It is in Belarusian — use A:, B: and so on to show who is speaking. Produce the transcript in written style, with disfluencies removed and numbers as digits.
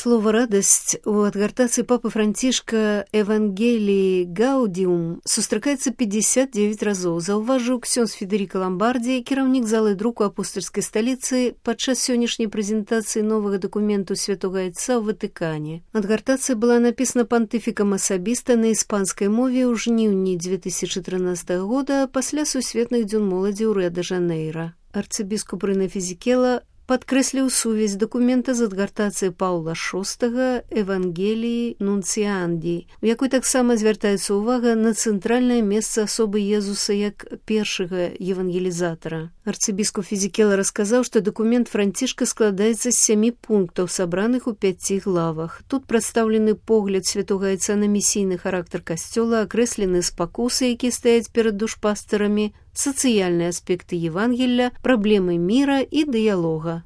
A: Слово «радасць» у адгартацыі папы Францішка «Евангелii Gaudium» сустракаецца 59 разоў, заўважыў ксёндз Федэріка Ламбардзі, кіраўнік залы друку апостальскай сталіцы, падчас сённяшняй прэзентацыі новага дакументу Святога Айца ў Ватыкане. Адгартацыя была напісана пантыфікам асабіста на іспанскай мове ў жніўні 2013 года пасля сусветных дзён моладзі ў Рыа-дэ-Жанейра. Арцыбіскуп Рэнэ Фізікела падкрэсліў сувязь дакумента з адгартацыяй Паўла VI «Евангелii Нунціанді», у якой таксама звяртаецца ўвага на цэнтральнае месца асобы Езуса як першага евангелізатара. Арцыбіскуп Фізікела расказаў, што дакумент Францішка складаецца з 7 пунктаў, сабраных у 5 главах. Тут прадстаўлены погляд Святога Айца на місійны характар касцёла, акрэслены спакусы, якія стаяць перад душпастарамі, сацыяльныя аспекты Евангелля, праблемы міра і дыялога.